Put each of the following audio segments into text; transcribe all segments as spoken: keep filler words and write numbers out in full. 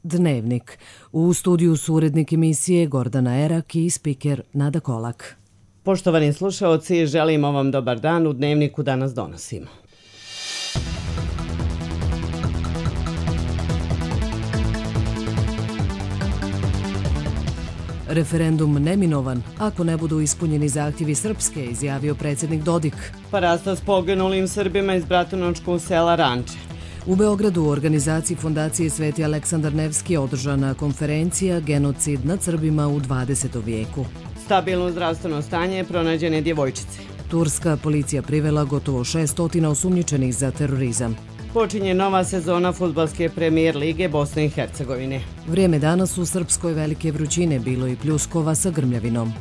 Dnevnik. U studiju su urednik emisije Gordana Erak i spiker Nada Kolak. Poštovani slušaoci, želimo vam dobar dan. U Dnevniku danas donosimo. Referendum neminovan, ako ne budu ispunjeni zahtjevi Srpske, izjavio predsjednik Dodik. Parasta s poginulim Srbima iz Bratunačkog sela Ranče. U Beogradu u organizaciji Fondacije Sveti Aleksandar Nevski održana konferencija Genocid nad Srbima u dvadesetom vijeku. Stabilno zdravstveno stanje pronađene djevojčice. Turska policija privela gotovo šeststo osumnjičenih za terorizam. Počinje nova sezona fudbalske premijer lige Bosne i Hercegovine. Vrijeme danas u Srpskoj velike vrućine, bilo i pljuskova sa grmljavinom.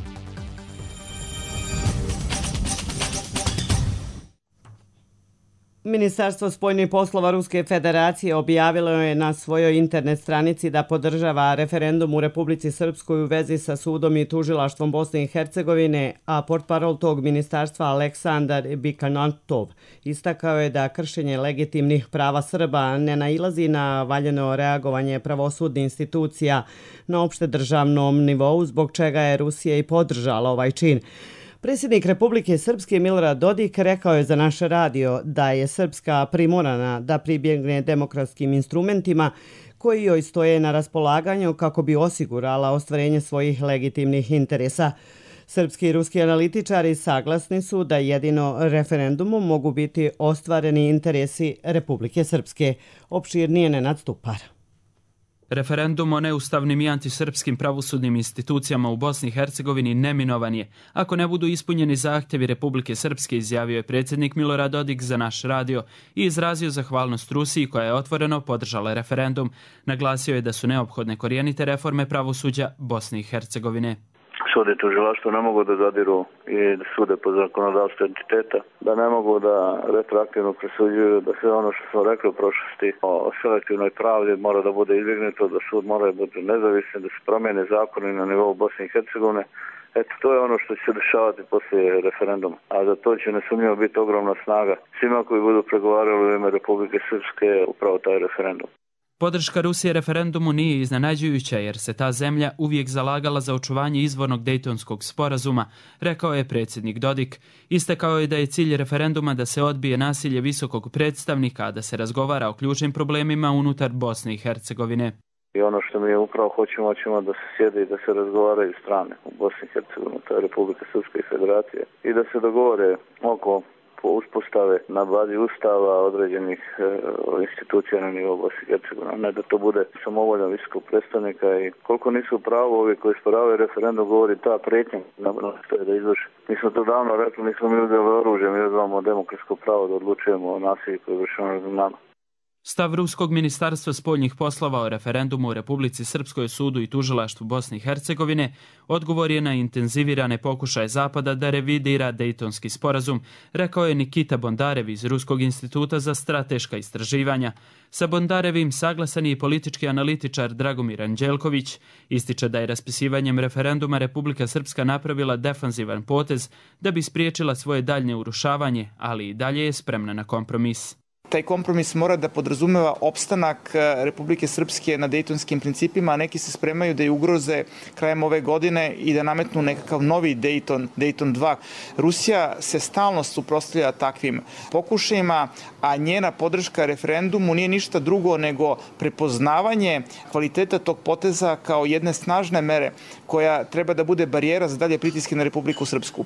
Ministarstvo spoljnih poslova Ruske federacije objavilo je na svojoj internet stranici da podržava referendum u Republici Srpskoj u vezi sa sudom i tužilaštvom Bosne i Hercegovine, a portparol tog ministarstva Aleksandar Bikanatov istakao je da kršenje legitimnih prava Srba ne nailazi na valjano reagovanje pravosudnih institucija na opšte državnom nivou, zbog čega je Rusija i podržala ovaj čin. Predsjednik Republike Srpske Milorad Dodik rekao je za naš radio da je Srpska primorana da pribjegne demokratskim instrumentima koji joj stoje na raspolaganju kako bi osigurala ostvarenje svojih legitimnih interesa. Srpski i ruski analitičari saglasni su da jedino referendumom mogu biti ostvareni interesi Republike Srpske. Opširnije Nenad Stupar. Referendum o neustavnim i antisrpskim pravosudnim institucijama u Bosni i Hercegovini neminovan je, ako ne budu ispunjeni zahtjevi Republike Srpske, izjavio je predsjednik Milorad Dodik za naš radio i izrazio zahvalnost Rusiji koja je otvoreno podržala referendum. Naglasio je da su neophodne korijenite reforme pravosuđa Bosne i Hercegovine. Sud i tužilaštvo ne mogu da zadiru i da sude po zakonodavstvu entiteta, da ne mogu da retroaktivno presuđuju, da sve ono što smo rekli u prošlosti o selektivnoj pravdi mora da bude izbjegnuto, da sud mora da bude nezavisan, da se promijene zakoni na nivou Bosne i Hercegovine. Eto, to je ono što će se dešavati poslije referenduma, a za to će nesumnjivo biti ogromna snaga svima koji budu pregovarali u ime Republike Srpske upravo taj referendum. Podrška Rusije referendumu nije iznenađujuća jer se ta zemlja uvijek zalagala za očuvanje izvornog Dejtonskog sporazuma, rekao je predsjednik Dodik. Istakao je da je cilj referenduma da se odbije nasilje visokog predstavnika, a da se razgovara o ključnim problemima unutar Bosne i Hercegovine. I ono što mi upravo hoćemo, hoćemo da se sjede i da se razgovaraju strane u Bosni i Hercegovini, to je Republika Srpska i Federacija, i da se dogovore oko uspostave na bazi ustava određenih e, institucija na nivou Bosne i Hercegovine, ne da to bude samovolja visokog predstavnika i koliko nisu pravo ovi koji sporavaju referendum govori ta prijetnja što je da izvrši. Mi smo to davno rekli, nismo mi uzeli oružje, mi uzmemo demokratsko pravo da odlučujemo o nasilju koje vršimo nad nama. Stav Ruskog ministarstva spoljnih poslova o referendumu u Republici Srpskoj, sudu i tužilaštvu Bosne i Hercegovine odgovor je na intenzivirane pokušaje Zapada da revidira Dejtonski sporazum, rekao je Nikita Bondarev iz Ruskog instituta za strateška istraživanja. Sa Bondarevim saglasan je i politički analitičar Dragomir Anđelković. Ističe da je raspisivanjem referenduma Republika Srpska napravila defanzivan potez da bi spriječila svoje daljnje urušavanje, ali i dalje je spremna na kompromis. Taj kompromis mora da podrazumeva opstanak Republike Srpske na dejtonskim principima, a neki se spremaju da je ugroze krajem ove godine i da nametnu nekakav novi Dejton, Dejton dva. Rusija se stalno suprotstavlja takvim pokušajima, a njena podrška referendumu nije ništa drugo nego prepoznavanje kvaliteta tog poteza kao jedne snažne mere koja treba da bude barijera za dalje pritiske na Republiku Srpsku.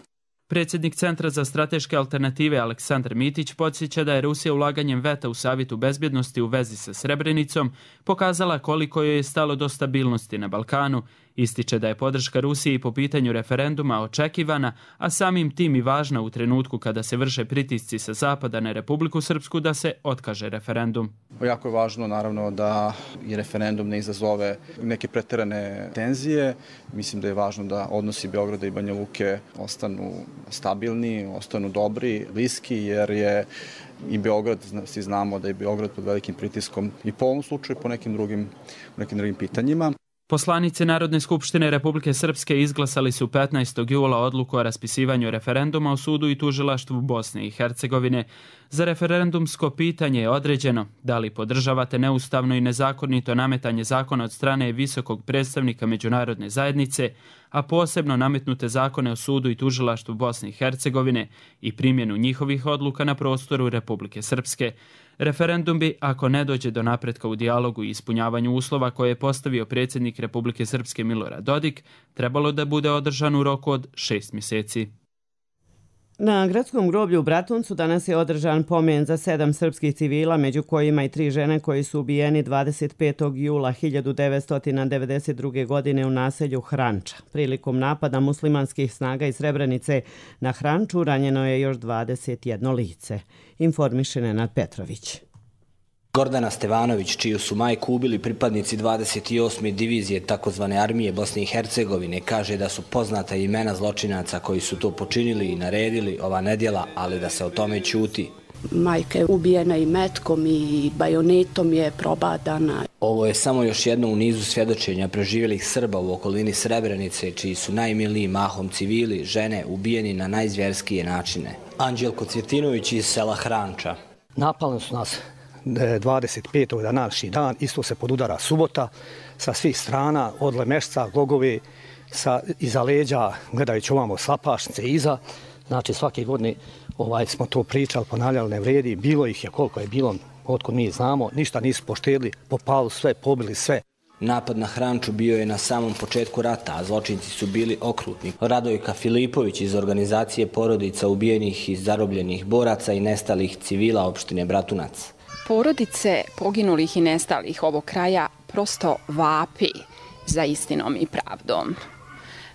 Predsjednik Centra za strateške alternative Aleksandar Mitić podsjeća da je Rusija ulaganjem veta u Savjetu bezbjednosti u vezi sa Srebrenicom pokazala koliko joj je stalo do stabilnosti na Balkanu. Ističe da je podrška Rusiji po pitanju referenduma očekivana, a samim tim i važna u trenutku kada se vrše pritisci sa zapada na Republiku Srpsku da se otkaže referendum. Jako je važno naravno da i referendum ne izazove neke pretjerane tenzije. Mislim da je važno da odnosi Beograda i Banja Luke ostanu stabilni, ostanu dobri, bliski, jer je i Beograd, svi znamo da je Beograd pod velikim pritiskom i po ovom slučaju po nekim drugim, nekim drugim pitanjima. Poslanici Narodne skupštine Republike Srpske izglasali su petnaestog jula odluku o raspisivanju referenduma u sudu i tužilaštvu Bosne i Hercegovine. Za referendumsko pitanje je određeno da li podržavate neustavno i nezakonito nametanje zakona od strane visokog predstavnika međunarodne zajednice, a posebno nametnute zakone o sudu i tužilaštvu Bosne i Hercegovine i primjenu njihovih odluka na prostoru Republike Srpske. Referendum bi, ako ne dođe do napretka u dijalogu i ispunjavanju uslova koje je postavio predsjednik Republike Srpske Milorad Dodik, trebalo da bude održan u roku od šest mjeseci. Na gradskom groblju u Bratuncu danas je održan pomen za sedam srpskih civila, među kojima i tri žene koji su ubijeni dvadeset petog jula hiljadu devetsto devedeset druge. godine u naselju Hranča. Prilikom napada muslimanskih snaga iz Srebrenice na Hranču ranjeno je još dvadeset jedno lice. Informiše Nenad Petrović. Gordana Stevanović, čiju su majku ubili pripadnici dvadeset osme divizije takozvane armije Bosne i Hercegovine, kaže da su poznata imena zločinaca koji su to počinili i naredili ova nedjela, ali da se o tome ćuti. Majka je ubijena i metkom i bajonetom je probadana. Ovo je samo još jedno u nizu svjedočenja preživjelih Srba u okolini Srebrenice, čiji su najmiliji mahom civili, žene, ubijeni na najzvjerskije načine. Anđelko Cvjetinović iz sela Hranča. Napali su nas dvadeset petog današnji dan, isto se podudara subota, sa svih strana, od Lemešca, Glogove, sa, iza leđa, gledajući ovamo Slapašnice iza. Znači svake godine ovaj, smo to pričali, ponavljali, ne vredi, bilo ih je koliko je bilo, otkud mi znamo, ništa nisu poštedili, popali sve, pobili sve. Napad na Hranču bio je na samom početku rata, a zločinci su bili okrutni. Radojka Filipović iz organizacije porodica ubijenih i zarobljenih boraca i nestalih civila opštine Bratunac. Porodice poginulih i nestalih ovog kraja prosto vapi za istinom i pravdom.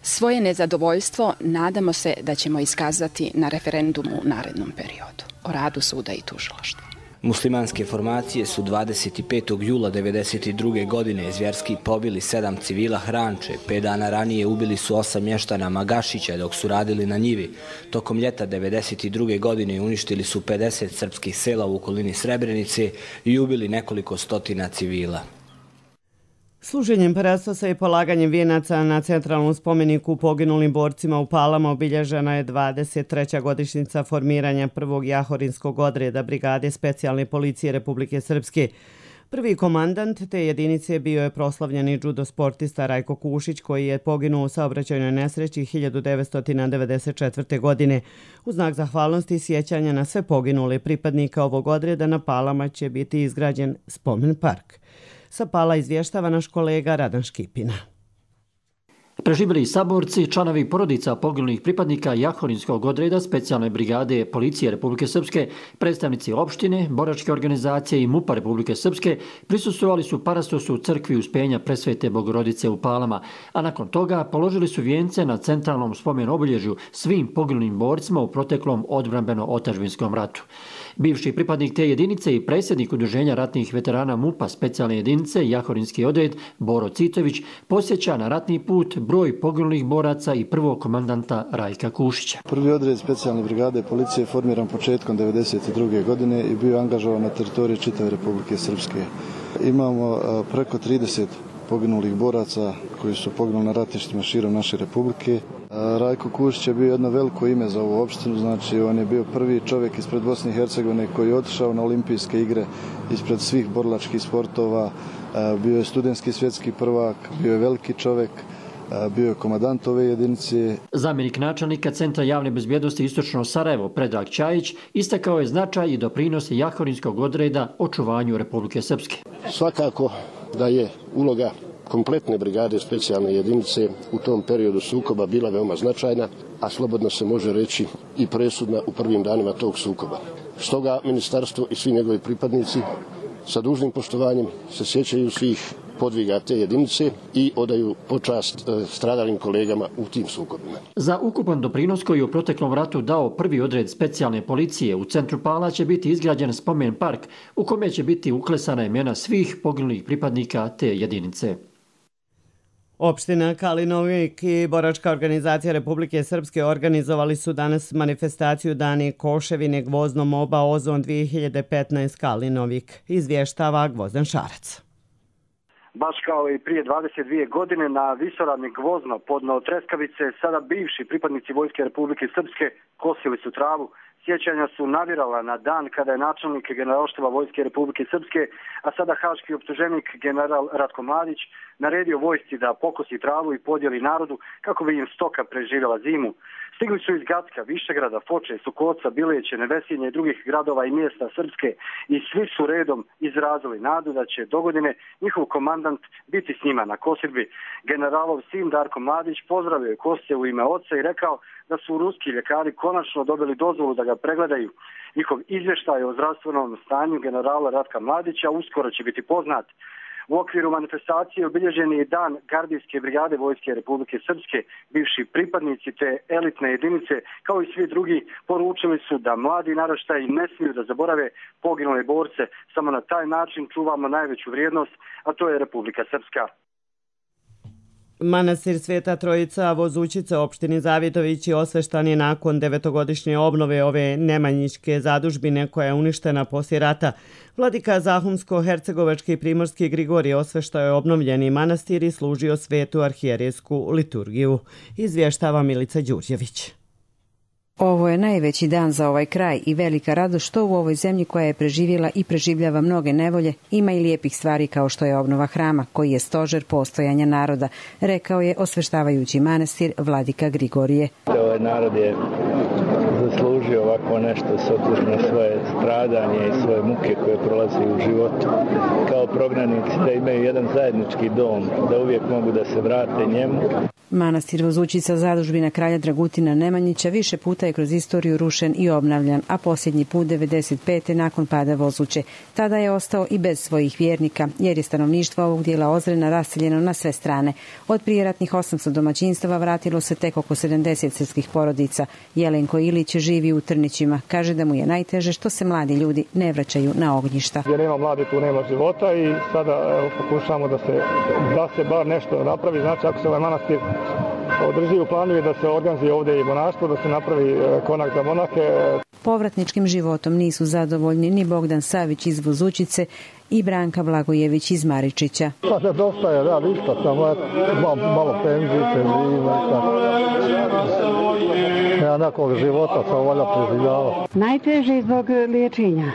Svoje nezadovoljstvo nadamo se da ćemo iskazati na referendumu u narednom periodu o radu suda i tužilaštva. Muslimanske formacije su dvadeset petog jula devedeset druge. godine zvjerski pobili sedam civila Hranče. Pet dana ranije ubili su osam mještana Magašića dok su radili na njivi. Tokom ljeta devedeset druge. godine uništili su pedeset srpskih sela u okolini Srebrenice i ubili nekoliko stotina civila. Služenjem parastosa i polaganjem vijenaca na centralnom spomeniku poginulim borcima u Palama obilježena je dvadeset treća godišnjica formiranja prvog jahorinskog odreda Brigade specijalne policije Republike Srpske. Prvi komandant te jedinice bio je proslavljeni judo sportista Rajko Kušić, koji je poginuo u saobraćajnoj nesreći hiljadu devetsto devedeset četvrte. godine. U znak zahvalnosti i sjećanja na sve poginule pripadnika ovog odreda na Palama će biti izgrađen spomen park. Sa Pala izvještava naš kolega Radan Škipina. Preživjeli saborci, članovi porodica poginulih pripadnika Jahorinskog odreda specijalne brigade policije Republike Srpske, predstavnici opštine, boračke organizacije i MUP-a Republike Srpske prisustvovali su parastosu u crkvi Uspenja Presvete Bogorodice u Palama, a nakon toga položili su vijence na centralnom spomen obilježju svim poginulim borcima u proteklom odbrambeno-otadžbinskom ratu. Bivši pripadnik te jedinice i predsjednik Udruženja ratnih veterana MUP-a specijalne jedinice Jahorinski odred Boro Citović posjeća na ratni put broj poginulih boraca i prvog komandanta Rajka Kušića. Prvi odred specijalne brigade policije je formiran početkom devedeset druge. godine i bio angažovan na teritoriji čitave Republike Srpske. Imamo preko trideset poginulih boraca koji su poginuli na ratištima širom naše republike. Rajko Kušić je bio jedno veliko ime za ovu opštinu, znači on je bio prvi čovjek ispred Bosne i Hercegovine koji je otišao na olimpijske igre ispred svih borilačkih sportova, bio je studentski svjetski prvak, bio je veliki čovjek, bio je komandant ove jedinice. Zamjenik načelnika Centra javne bezbjednosti Istočno Sarajevo Predrag Čajić istakao je značaj i doprinos Jahorinskog odreda očuvanju Republike Srpske. Svakako da je uloga kompletne brigade specijalne jedinice u tom periodu sukoba bila veoma značajna, a slobodno se može reći i presudna u prvim danima tog sukoba. Stoga ministarstvo i svi njegovi pripadnici sa dužnim poštovanjem se sjećaju svih podviga te jedinice i odaju počast stradalim kolegama u tim sukobima. Za ukupan doprinos koji u proteklom ratu dao prvi odred specijalne policije u centru Pala će biti izgrađen spomen park u kome će biti uklesana imena svih poginulih pripadnika te jedinice. Opština Kalinovik i boračka organizacija Republike Srpske organizovali su danas manifestaciju Dani Koševine Gvozdno Moba Ozon dvije hiljade petnaest Kalinovik, izvještava Gvozdan Šarac. Baš kao i prije dvadeset dvije godine na visoravni Gvozno podno Treskavice, sada bivši pripadnici Vojske Republike Srpske kosili su travu. Sjećanja su navirala na dan kada je načelnik Generalštaba Vojske Republike Srpske, a sada haški optuženik general Ratko Mladić, naredio vojsci da pokosi travu i podijeli narodu kako bi im stoka preživjela zimu. Stigli su iz Gacka, Višegrada, Foče, Sukoca, Bileće, Nevesinje i drugih gradova i mjesta Srpske i svi su redom izrazili nadu da će dogodine njihov komandant biti s njima na kosidbi. Generalov sin Darko Mladić pozdravio je Kosce u ime oca i rekao da su ruski ljekari konačno dobili dozvolu da ga pregledaju. Njihov izvještaj o zdravstvenom stanju generala Ratka Mladića uskoro će biti poznat. U okviru manifestacije obilježen je dan Gardijske brigade Vojske Republike Srpske. Bivši pripadnici te elitne jedinice, kao i svi drugi, poručili su da mladi naraštaji ne smiju da zaborave poginule borce. Samo na taj način čuvamo najveću vrijednost, a to je Republika Srpska. Manastir Sveta Trojica Vozućica u opštini Zavidović je osveštan je nakon devetogodišnje obnove ove nemanjiške zadužbine koja je uništena poslije rata. Vladika Zahumsko-Hercegovački i Primorski Grigorije osveštao je obnovljeni manastir i služio svetu arhijerejsku liturgiju. Izvještava Milica Đurđević. Ovo je najveći dan za ovaj kraj i velika radost što u ovoj zemlji koja je preživjela i preživljava mnoge nevolje ima i lijepih stvari kao što je obnova hrama koji je stožer postojanja naroda, rekao je osveštavajući manastir vladika Grigorije. Ovaj narod je zaslužio ovako nešto s obzirom na svoje stradanje i svoje muke koje prolazi u životu. Kao prognanici da imaju jedan zajednički dom, da uvijek mogu da se vrate njemu. Manastir Vozućica zadužbina kralja Dragutina Nemanjića više puta je kroz istoriju rušen i obnavljan, a posljednji put devedeset pete nakon pada Vozuće. Tada je ostao i bez svojih vjernika, jer je stanovništvo ovog dijela Ozrena raseljeno na sve strane. Od prijeratnih osamsto domaćinstava vratilo se tek oko sedamdeset srpskih porodica. Jelenko Ilić živi u Trnićima. Kaže da mu je najteže što se mladi ljudi ne vraćaju na ognjišta. Gdje nema mladi, tu nema života i sada evo, pokušamo da se, da se bar nešto napravi. Znači, ako se ovaj manastir održi u planu je da se organizuje ovdje i monaštvo, da se napravi konak za monahe. Povratničkim životom nisu zadovoljni ni Bogdan Savić iz Vozućice i Branka Blagojević iz Maričića. Pa da dosta je, da, ništa, samo malo, malo penzije, penzije, tako. Ja nekog života sam volja preživljava. Najteže zbog liječenja.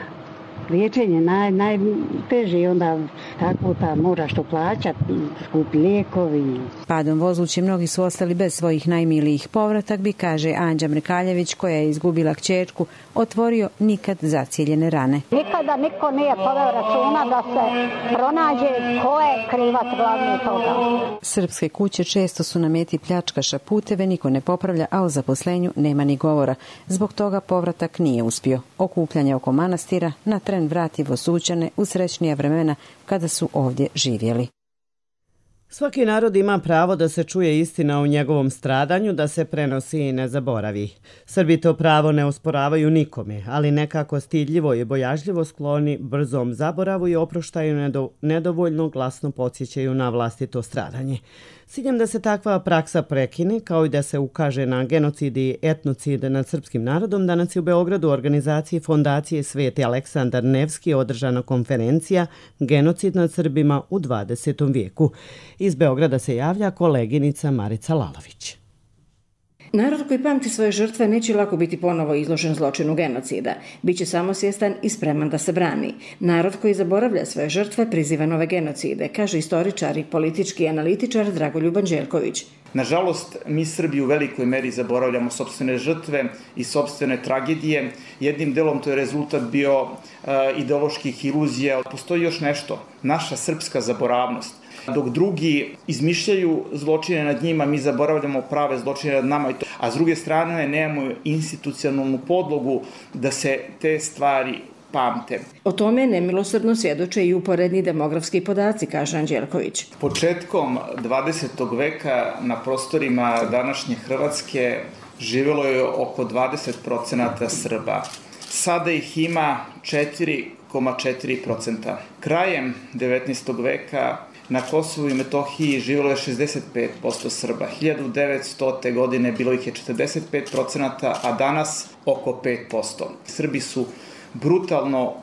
Liječenje naj, najteže i onda tako ta moraš to plaćati, skupi lijekovi. Padom Vozuće mnogi su ostali bez svojih najmilijih. Povratak bi, kaže Anđa Mrekaljević, koja je izgubila kćerku, otvorio nikad zacijeljene rane. Nikada niko nije poveo računa da se pronađe ko je krivac glavni toga. Srpske kuće često su na meti pljačkaša, puteve niko ne popravlja, a o zaposlenju nema ni govora. Zbog toga povratak nije uspio. Okupljanje oko manastira na tren vrati Vozućane u srećnija vremena kada su ovdje živjeli. Svaki narod ima pravo da se čuje istina o njegovom stradanju, da se prenosi i ne zaboravi. Srbi to pravo ne osporavaju nikome, ali nekako stidljivo i bojažljivo skloni brzom zaboravu i oproštaju nedovoljno glasno podsjećaju na vlastito stradanje. S ciljem da se takva praksa prekine, kao i da se ukaže na genocid i etnocid nad srpskim narodom, danas je u Beogradu u organizaciji Fondacije Sveti Aleksandar Nevski održana konferencija Genocid nad Srbima u dvadesetom vijeku. Iz Beograda se javlja koleginica Marica Lalović. Narod koji pamti svoje žrtve neće lako biti ponovo izložen zločinu genocida. Biće samosvjestan i spreman da se brani. Narod koji zaboravlja svoje žrtve priziva nove genocide, kaže istoričar i politički analitičar Dragoljub Anđelković. Nažalost, mi Srbi u velikoj meri zaboravljamo sopstvene žrtve i sopstvene tragedije. Jednim delom to je rezultat bio uh, ideoloških iluzija. Postoji još nešto, naša srpska zaboravnost. Dok drugi izmišljaju zločine nad njima, mi zaboravljamo prave zločine nad nama. A s druge strane, nemamo institucionalnu podlogu da se te stvari pamte. O tome nemilosrdno svjedoče i uporedni demografski podaci, kaže Anđelković. Početkom dvadesetog veka na prostorima današnje Hrvatske živjelo je oko dvadeset procenata Srba. Sada ih ima četiri zarez četiri procenta. Krajem devetnaestog veka na Kosovu i Metohiji živjelo je šezdeset pet posto Srba. hiljadu devetstote. godine bilo ih je četrdeset pet procenata, a danas oko pet posto. Srbi su brutalno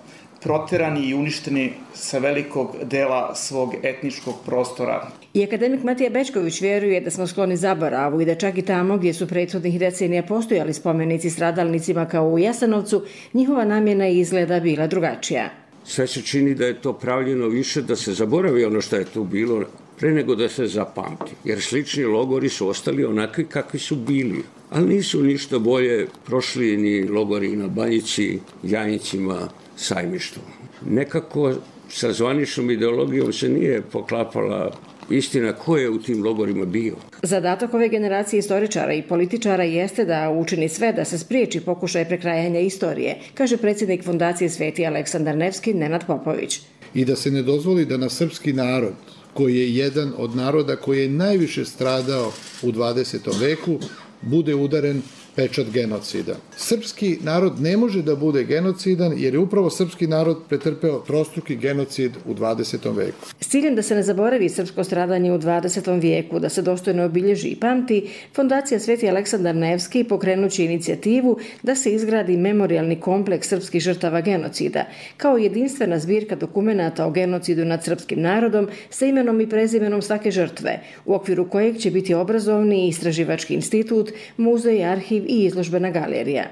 proterani i uništeni sa velikog dela svog etničkog prostora. I akademik Matija Bečković vjeruje da smo skloni zaboravu i da čak i tamo gdje su prethodnih decenija postojali spomenici stradalnicima kao u Jasenovcu, njihova namjena i izgleda bila drugačija. Sve se čini da je to pravljeno više da se zaboravi ono što je tu bilo pre nego da se zapamti. Jer slični logori su ostali onakvi kakvi su bili. Ali nisu ništa bolje prošli ni logori na Banjici, Jajincima, Sajmištu. Nekako sa zvaničnom ideologijom se nije poklapala istina ko je u tim logorima bio. Zadatak ove generacije istoričara i političara jeste da učini sve da se spriječi pokušaj prekrajanja istorije, kaže predsjednik Fondacije Sveti Aleksandar Nevski Nenad Popović. I da se ne dozvoli da na srpski narod, koji je jedan od naroda koji je najviše stradao u dvadesetom veku, bude udaren pečat genocida. Srpski narod ne može da bude genocidan jer je upravo srpski narod pretrpeo trostruki genocid u dvadesetom veku. S ciljem da se ne zaboravi srpsko stradanje u dvadesetom vijeku, da se dostojno obilježi i pamti, Fondacija Sveti Aleksandar Nevski pokrenući inicijativu da se izgradi memorijalni kompleks srpskih žrtava genocida, kao jedinstvena zbirka dokumenata o genocidu nad srpskim narodom sa imenom i prezimenom svake žrtve, u okviru kojeg će biti obrazovni i istraživački institut, muzej, arhiv i izložbena galerija.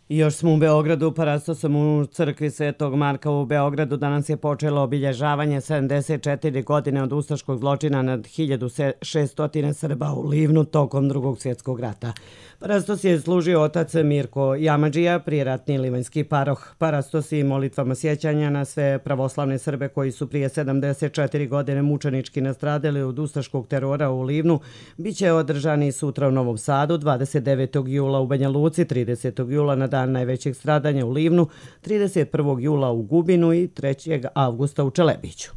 Još smo u Beogradu, parastosom u crkvi Svetog Marka u Beogradu danas je počelo obilježavanje sedamdeset četiri godine od ustaškog zločina nad hiljadu šesto Srba u Livnu tokom Drugog svjetskog rata. Parastos je služio otac Mirko Jamadžija, prijeratni livanjski paroh. Parastos i molitvama sjećanja na sve pravoslavne Srbe koji su prije sedamdeset četiri godine mučenički nastradali od ustaškog terora u Livnu bit će održani sutra u Novom Sadu, dvadeset devetog jula u Banja Luci, tridesetog jula na dan najvećeg stradanja u Livnu, trideset prvog jula u Gubinu i trećeg avgusta u Čelebiću.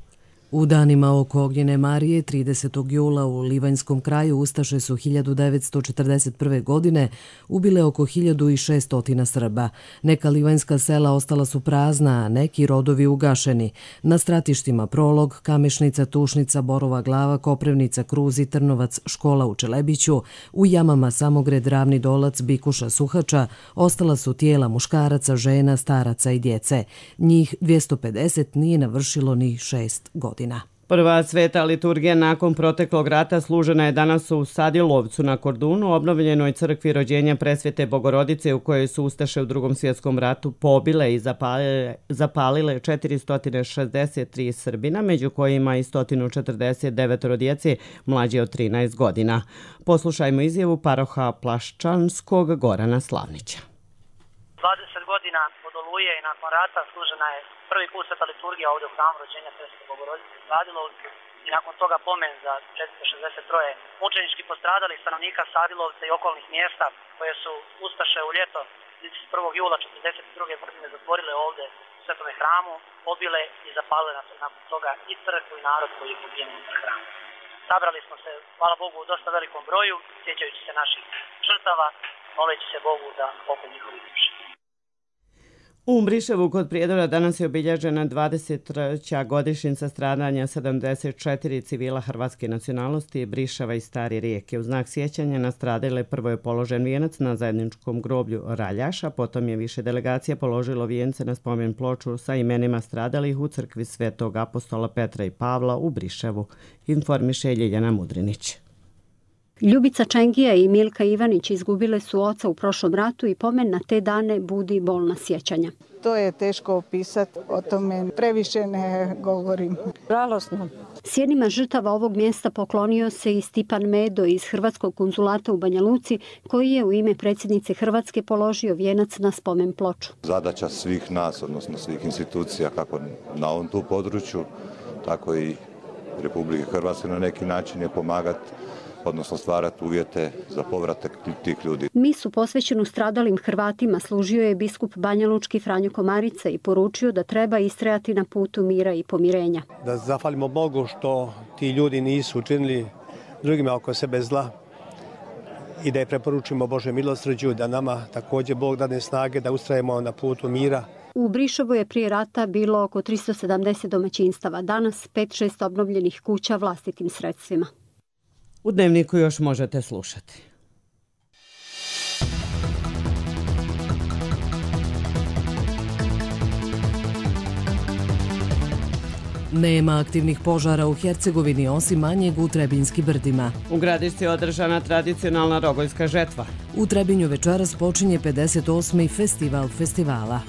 U danima oko Ognjene Marije, tridesetog jula u Livanjskom kraju ustaše su hiljadu devetsto četrdeset prve. godine ubile oko hiljadu šesto Srba. Neka livanjska sela ostala su prazna, a neki rodovi ugašeni. Na stratištima Prolog, Kamešnica, Tušnica, Borova Glava, Koprivnica, Kruzi, Trnovac, Škola u Čelebiću, u jamama Samogred, Ravni Dolac, Bikuša, Suhača, ostala su tijela muškaraca, žena, staraca i djece. Njih dvjesto pedeset nije navršilo ni šest godina. Prva sveta liturgija nakon proteklog rata služena je danas u Sadilovcu na Kordunu, obnovljenoj crkvi rođenja Presvete Bogorodice u kojoj su ustaše u Drugom svjetskom ratu pobile i zapalile, zapalile četiristo šezdeset tri Srbina, među kojima i sto četrdeset devet djece mlađe od trinaest godina. Poslušajmo izjavu paroha Plaščanskog Gorana Slavnića. dvadeset godina od Oluje i nakon rata služena je prvi put sveta liturgija ovdje u hramu rođenja Presvete Bogorodice u Sadilovcu i nakon toga pomen za četiristo šezdeset tri mučenički postradalih stanovnika Sadilovca i okolnih mjesta koje su ustaše u ljeto trideset prvog jula četrdeset druge. godine zatvorile ovdje u svetome hramu, pobile i zapalile nakon toga i crkvu i narod koji je pobijen unutar hrama. Sabrali smo se, hvala Bogu, u dosta velikom broju, sjećajući se naših žrtava, moleći se Bogu da pokoj njihovi duši. U Briševu kod Prijedora danas je obilježena dvadeset treća godišnjica stradanja sedamdeset četiri civila hrvatske nacionalnosti Briševa i Stare Rijeke. U znak sjećanja na stradale prvo je položen vijenac na zajedničkom groblju Raljaša, potom je više delegacija položilo vijence na spomen ploču sa imenima stradalih u crkvi Svetog apostola Petra i Pavla u Briševu, informiše Ljiljana Mudrinić. Ljubica Čengija i Milka Ivanić izgubile su oca u prošlom ratu i pomen na te dane budi bolna sjećanja. To je teško opisati, o tome previše ne govorim. Žalosno. Sjenima žrtava ovog mjesta poklonio se i Stipan Medo iz Hrvatskog konzulata u Banja Luci, koji je u ime predsjednice Hrvatske položio vijenac na spomen ploču. Zadaća svih nas, odnosno svih institucija, kako na ovom tu području, tako i Republike Hrvatske na neki način je pomagati, odnosno stvarati uvjete za povratak tih ljudi. Misu posvećenu stradalim Hrvatima služio je biskup banjalučki Franjo Komarica i poručio da treba istrajati na putu mira i pomirenja. Da zahvalimo Bogu što ti ljudi nisu učinili drugima oko sebe zla i da je preporučimo Bože milosrđu, da nama također Bog dane snage da ustrajemo na putu mira. U Briševu je prije rata bilo oko tristo sedamdeset domaćinstava, danas pet šest obnovljenih kuća vlastitim sredstvima. U Dnevniku još možete slušati. Nema aktivnih požara u Hercegovini osim manjeg u Trebinjskim brdima. U Gradišci je održana tradicionalna rogoljska žetva. U Trebinju večeras počinje pedeset osmi festival festivala.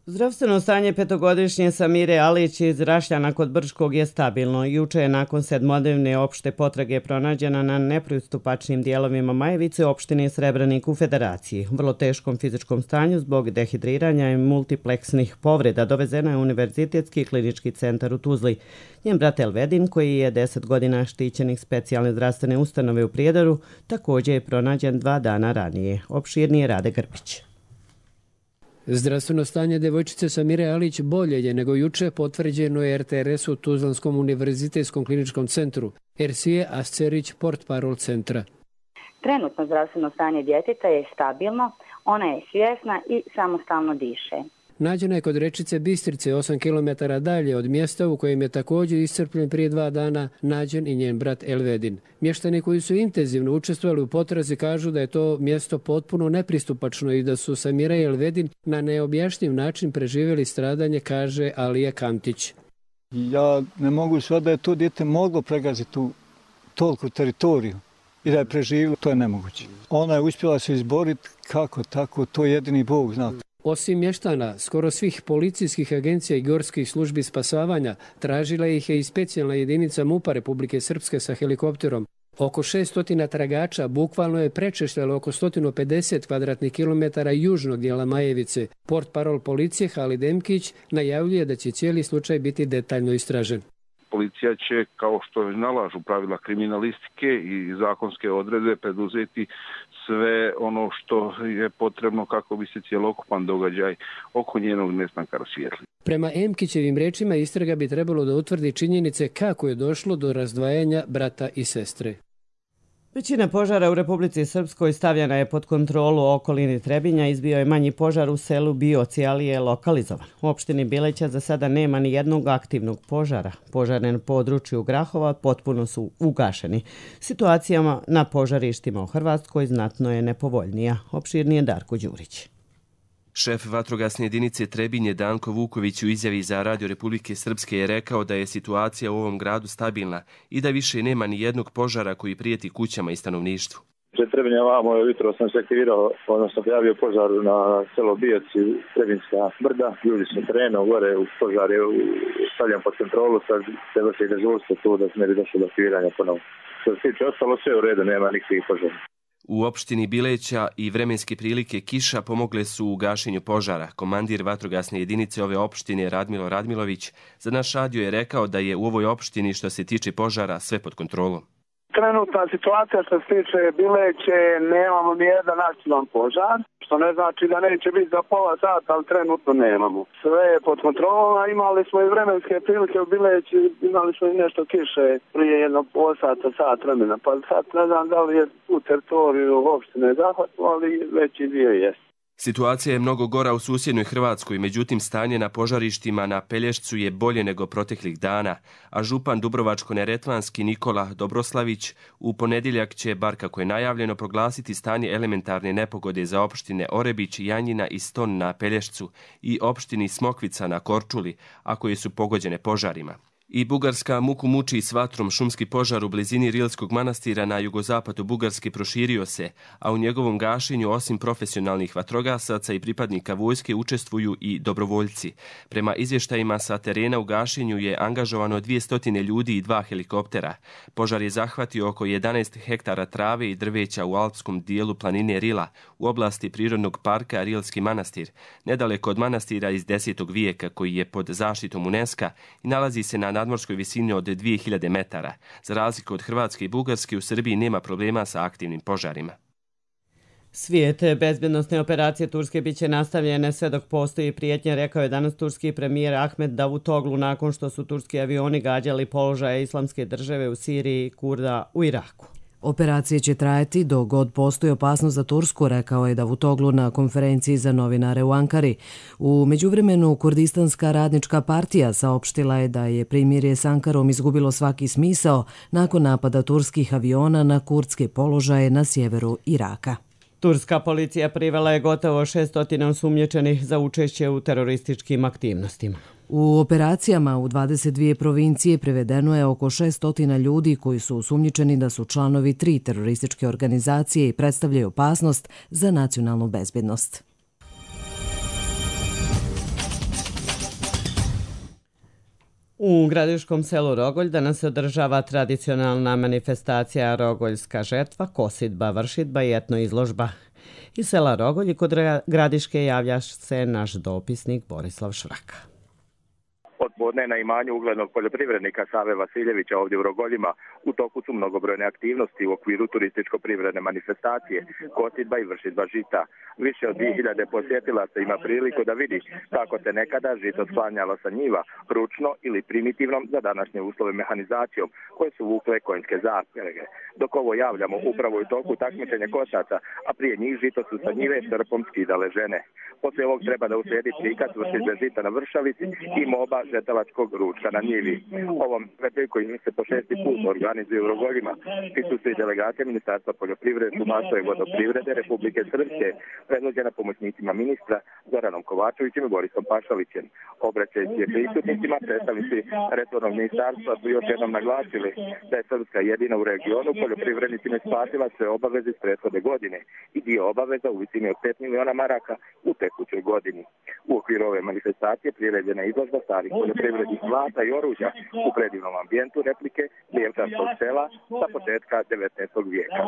Zdravstveno stanje petogodišnje Samire Alić iz Rašljana kod Brčkog je stabilno. Juče je nakon sedmodnevne opšte potrage pronađena na nepristupačnim dijelovima Majevice opštine Srebrnik u Federaciji. U vrlo teškom fizičkom stanju zbog dehidriranja i multipleksnih povreda dovezena je u Univerzitetski klinički centar u Tuzli. Njen brat Elvedin, koji je deset godina štićenik specijalne zdravstvene ustanove u Prijedoru, također je pronađen dva dana ranije. Opširnije Rade Grbić. Zdravstveno stanje devojčice Samire Alić bolje je nego juče, potvrđeno je er te er es u Tuzlanskom univerzitetskom kliničkom centru, Ersije Ascerić, portparol centra. Trenutno zdravstveno stanje djeteta je stabilno, ona je svjesna i samostalno diše. Nađena je kod rečice Bistrice, osam kilometara dalje od mjesta u kojem je također iscrpljen prije dva dana nađen i njen brat Elvedin. Mještani koji su intenzivno učestvovali u potrazi kažu da je to mjesto potpuno nepristupačno i da su Samira i Elvedin na neobjašnjiv način preživjeli stradanje, kaže Alija Kamtić. Ja ne mogu sve da je to dijete moglo pregaziti tu toliku teritoriju i da je preživjelo, to je nemoguće. Ona je uspjela se izboriti kako tako, to jedini Bog zna. Osim mještana, skoro svih policijskih agencija i gorskih službi spasavanja tražila ih je i specijalna jedinica MUP-a Republike Srpske sa helikopterom. Oko šesto tragača bukvalno je prečešljalo oko sto pedeset kvadratnih kilometara južnog dijela Majevice. Portparol policije Halid Emkić najavljuje da će cijeli slučaj biti detaljno istražen. Policija će, kao što nalažu pravila kriminalistike i zakonske odredbe, preduzeti sve ono što je potrebno kako bi se cjelokupan događaj oko njenog nestanka rasvijetlio. Prema Emkićevim rečima istraga bi trebalo da utvrdi činjenice kako je došlo do razdvajanja brata i sestre. Većina požara u Republici Srpskoj stavljena je pod kontrolu u okolini Trebinja. Izbio je manji požar u selu Bioci, ali je lokalizovan. U opštini Bileća za sada nema ni jednog aktivnog požara. Požare na području Grahova potpuno su ugašeni. Situacijama na požarištima u Hrvatskoj znatno je nepovoljnija. Opširnije Darko Đurić. Šef vatrogasne jedinice Trebinje Danko Vuković u izjavi za Radio Republike Srpske je rekao da je situacija u ovom gradu stabilna i da više nema ni jednog požara koji prijeti kućama i stanovništvu. Pred Trebinja vamo jutro sam se aktivirao, odnosno prijavio požar na selo Bijaci, Trebinjska brda. Ljudi su terenu gore, u požar je stavljen pod kontrolu, sad se vrši dežurstvo tu da se ne bi došlo do aktiviranja ponovno. Što se tiče ostalo sve u redu, nema nikakvih požara. U opštini Bileća i vremenske prilike kiša pomogle su u gašenju požara. Komandir vatrogasne jedinice ove opštine Radmilo Radmilović za naš radio je rekao da je u ovoj opštini što se tiče požara sve pod kontrolom. Trenutna situacija što se tiče Bileće, nemamo ni jedan aktivan požar, što ne znači da neće biti za pola sata, ali trenutno nemamo. Sve je pod kontrolom, a imali smo i vremenske prilike u Bileći, imali smo i nešto kiše prije jednog pola sata, sat vremena, pa sad ne znam da li je u teritoriju opštine zahvatno, ali veći dio jest. Situacija je mnogo gora u susjednoj Hrvatskoj, međutim stanje na požarištima na Pelješcu je bolje nego proteklih dana, a župan Dubrovačko-neretvanski Nikola Dobroslavić u ponedjeljak će, bar kako je najavljeno, proglasiti stanje elementarne nepogode za opštine Orebić, Janjina i Ston na Pelješcu i opštini Smokvica na Korčuli, a koje su pogođene požarima. I Bugarska muku muči s vatrom. Šumski požar u blizini Rilskog manastira na jugozapadu Bugarske proširio se, a u njegovom gašenju osim profesionalnih vatrogasaca i pripadnika vojske učestvuju i dobrovoljci. Prema izvještajima sa terena u gašenju je angažovano dvjesto ljudi i dva helikoptera. Požar je zahvatio oko jedanaest hektara trave i drveća u alpskom dijelu planine Rila u oblasti prirodnog parka Rilski manastir, nedaleko od manastira iz desetog vijeka koji je pod zaštitom UNESCO i nalazi se na nadmorskoj visini od dvije hiljade metara. Za razliku od Hrvatske i Bugarske, u Srbiji nema problema sa aktivnim požarima. Svijet bezbjednostne operacije Turske biće nastavljene sve dok postoji prijetnje, rekao je danas turski premijer Ahmed Davutoglu nakon što su turski avioni gađali položaje Islamske države u Siriji i Kurda u Iraku. Operacije će trajati dok god postoji opasnost za Tursku, rekao je Davutoglu na konferenciji za novinare u Ankari. U međuvremenu Kurdistanska radnička partija saopštila je da je primirje s Ankarom izgubilo svaki smisao nakon napada turskih aviona na kurdske položaje na sjeveru Iraka. Turska policija privela je gotovo šestotina osumnjičenih za učešće u terorističkim aktivnostima. U operacijama u dvadeset dvije provincije prevedeno je oko šestotina ljudi koji su osumnjičeni da su članovi tri terorističke organizacije i predstavljaju opasnost za nacionalnu bezbednost. U gradiškom selu Rogolj danas se održava tradicionalna manifestacija Rogoljska žetva, kosidba, vršidba i etno izložba. Iz sela Rogolj i kod Gradiške javlja se naš dopisnik Borislav Švraka. Od podne na imanju uglednog poljoprivrednika Save Vasiljevića ovdje u Rogoljima u toku su mnogobrojne aktivnosti u okviru turističko-privredne manifestacije, kosidba i vršidba žita. Više od dvije hiljade posjetilaca ima priliku da vidi kako se nekada žito sklanjalo sa njiva, ručno ili primitivnom za današnje uslove mehanizacijom, koje su vukle konjske zaprege. Dok ovo javljamo upravo u toku takmičenja kosaca, a prije njih žito su sa njive srpom skidale žene. Poslije ovog treba da uslijedi prikaz vršidbe žita na vršalici i moba žetelačkog ručka na njivi. Ovom svetoj koji se po šesti put organizuje u Rogoljima prisustuju i delegacije Ministarstva poljoprivrede, šumarstva i vodoprivrede Republike Srpske, predvođena pomoćnicima ministra Zoranom Kovačevićem i Borisom Pašalićem. Obraćajući prisutnicima, predstavnici resornog ministarstva su još jednom naglasili da je Srpska jedina u regionu poljoprivrednicima isplatila sve obaveze iz prethodne godine i dio obaveza u visini od pet miliona maraka u tekućoj godini. U okviru ove manifestacije priređena je izložba starih poljoprivrednih zlata i oruđa u predivnom ambijentu replike Lijevčarskog sela sa početka devetnaestog vijeka.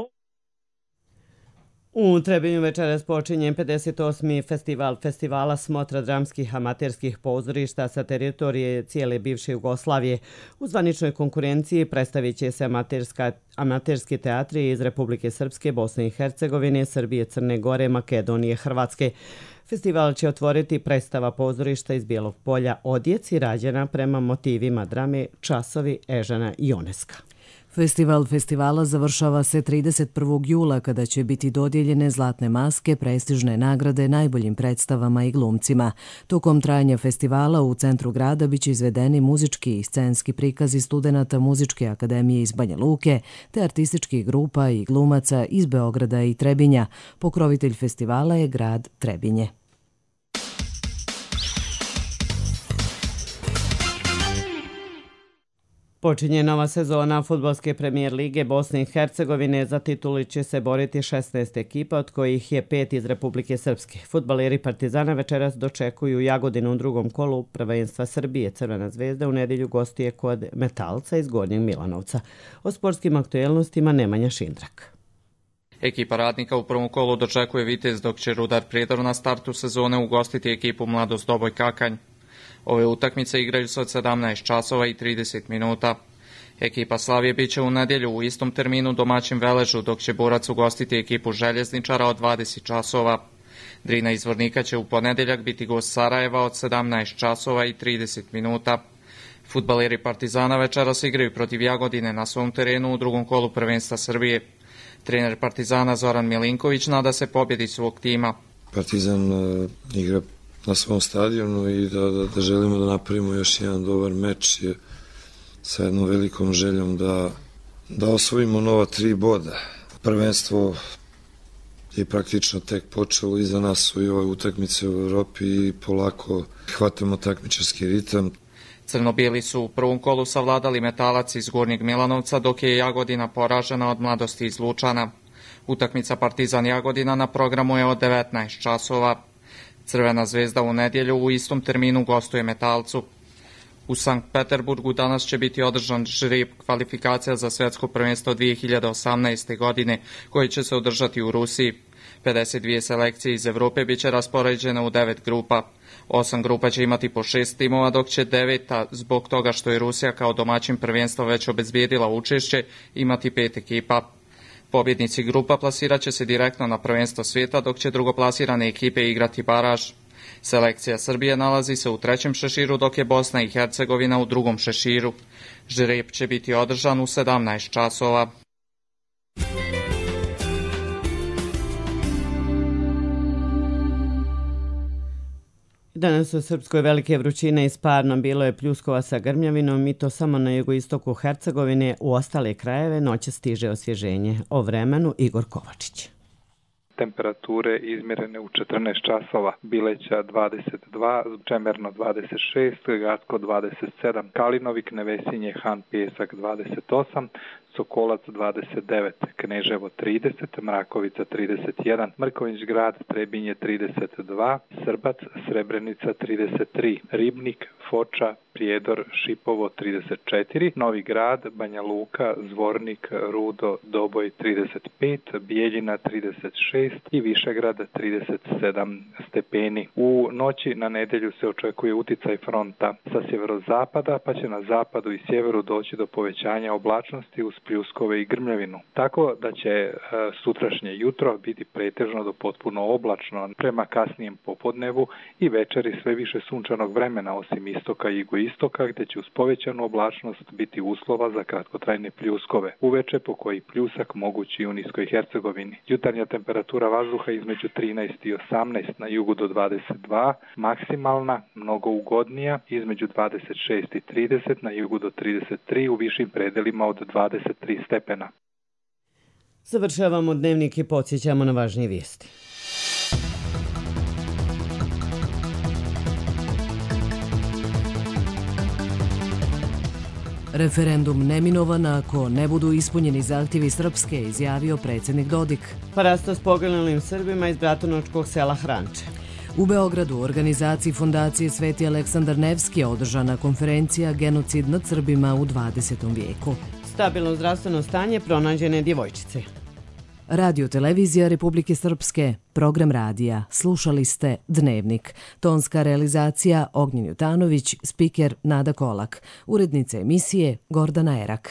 U Trebinju večeras počinje pedeset osmi festival festivala smotra dramskih amaterskih pozorišta sa teritorije cijele bivše Jugoslavije. U zvaničnoj konkurenciji predstavit će se amaterska, amaterski teatri iz Republike Srpske, Bosne i Hercegovine, Srbije, Crne Gore, Makedonije, Hrvatske. Festival će otvoriti predstava pozorišta iz Bijelog polja Odjeci rađena prema motivima drame Časovi Ežana Ioneska. Festival festivala završava se trideset prvog jula kada će biti dodijeljene zlatne maske, prestižne nagrade najboljim predstavama i glumcima. Tokom trajanja festivala u centru grada biće izvedeni muzički i scenski prikazi studenata Muzičke akademije iz Banja Luke te artističkih grupa i glumaca iz Beograda i Trebinja. Pokrovitelj festivala je grad Trebinje. Počinje nova sezona fudbalske premijer lige Bosne i Hercegovine. Za tituli će se boriti šesnaest ekipa, od kojih je pet iz Republike Srpske. Fudbaleri Partizana večeras dočekuju Jagodinu u drugom kolu prvenstva Srbije. Crvena zvezda u nedjelju gostuje kod Metalca iz Gornjeg Milanovca. O sportskim aktuelnostima Nemanja Šindrak. Ekipa Radnika u prvom kolu dočekuje Vitez, dok će Rudar Prijedor na startu sezone ugostiti ekipu Mladost Doboj Kakanj. Ove utakmice igraju se od sedamnaest časova i trideset minuta. Ekipa Slavije biće u nedjelju u istom terminu domaćin Veležu, dok će Borac ugostiti ekipu Željezničara od dvadeset časova. Drina iz Vornika će u ponedjeljak biti gost Sarajeva od sedamnaest časova i trideset minuta. Fudbaleri Partizana večeras igraju protiv Jagodine na svom terenu u drugom kolu prvenstva Srbije. Trener Partizana Zoran Milinković nada se pobjedi svog tima. Partizan uh, igra na svom stadionu i da, da, da želimo da napravimo još jedan dobar meč je sa jednom velikom željom da, da osvojimo nova tri boda. Prvenstvo je praktično tek počelo, iza nas su i ove utakmice u Evropi i polako hvatamo takmičarski ritam. Crno-bijeli su u prvom kolu savladali Metalac iz Gornjeg Milanovca, dok je Jagodina poražena od Mladosti iz Lučana. Utakmica Partizan Jagodina na programu je od devetnaest časova. Crvena zvezda u nedjelju u istom terminu gostuje Metalcu. U Sankt Peterburgu danas će biti održan žreb kvalifikacija za svjetsko prvenstvo dvije hiljade osamnaeste. godine, koje će se održati u Rusiji. pedeset dvije selekcije iz Evrope biće raspoređene u devet grupa. Osam grupa će imati po šest timova, dok će deveta, zbog toga što je Rusija kao domaćin prvenstva već obezbijedila učešće, imati pet ekipa. Pobjednici grupa plasirat će se direktno na prvenstvo svijeta, dok će drugoplasirane ekipe igrati baraž. Selekcija Srbije nalazi se u trećem šeširu, dok je Bosna i Hercegovina u drugom šeširu. Žreb će biti održan u sedamnaest časova. Danas u Srpskoj velike vrućine i sparno, bilo je pljuskova sa grmljavinom i to samo na jugoistoku Hercegovine. U ostale krajeve noće stiže osvježenje. O vremenu Igor Kovačić. Temperature izmjerene u četrnaest časova, Bileća dvadeset dva, Čemerno dvadeset šest, Gatko dvadeset sedam, Kalinovik, Nevesinje, Han, Pjesak dvadeset osam, Sokolac dvadeset devet, Kneževo trideset, Mrakovica trideset jedan, Mrkonjić Grad, Trebinje trideset dva, Srbac, Srebrenica trideset tri, Ribnik, Foča, Prijedor, Šipovo trideset četiri, Novi Grad, Banja Luka, Zvornik, Rudo, Doboj trideset pet, Bijeljina trideset šest i Višegrad trideset sedam stepeni. U noći na nedjelju se očekuje uticaj fronta sa sjeverozapada, pa će na zapadu i sjeveru doći do povećanja oblačnosti uz pljuskove i grmljavinu. Tako da će e, sutrašnje jutro biti pretežno do potpuno oblačno prema kasnijem popodnevu i večeri sve više sunčanog vremena osim istoka i jugoistoka gdje će uz povećanu oblačnost biti uslova za kratkotrajne pljuskove. Uveče po koji pljusak mogući u Niskoj Hercegovini. Jutarnja temperatura vazduha između trinaest i osamnaest, na jugu do dvadeset dva, maksimalna, mnogo ugodnija, između dvadeset šest i trideset, na jugu do trideset tri, u višim predelima od dvadeset tri stepena. Završavamo dnevnik i podsjećamo na važnije vijesti. Referendum neminovan ako ne budu ispunjeni zahtjevi Srpske, izjavio predsjednik Dodik. Parasto s poginulim Srbima iz Bratunačkog sela Hranče. U Beogradu, u organizaciji Fondacije Sveti Aleksandar Nevski je održana konferencija Genocid nad Srbima u dvadesetom vijeku. Stabilno zdravstveno stanje pronađene djevojčice. Radio televizija Republike Srpske, program radija. Slušali ste Dnevnik. Tonska realizacija Ognjen Jutanović, spiker Nada Kolak. Urednica emisije Gordana Erak.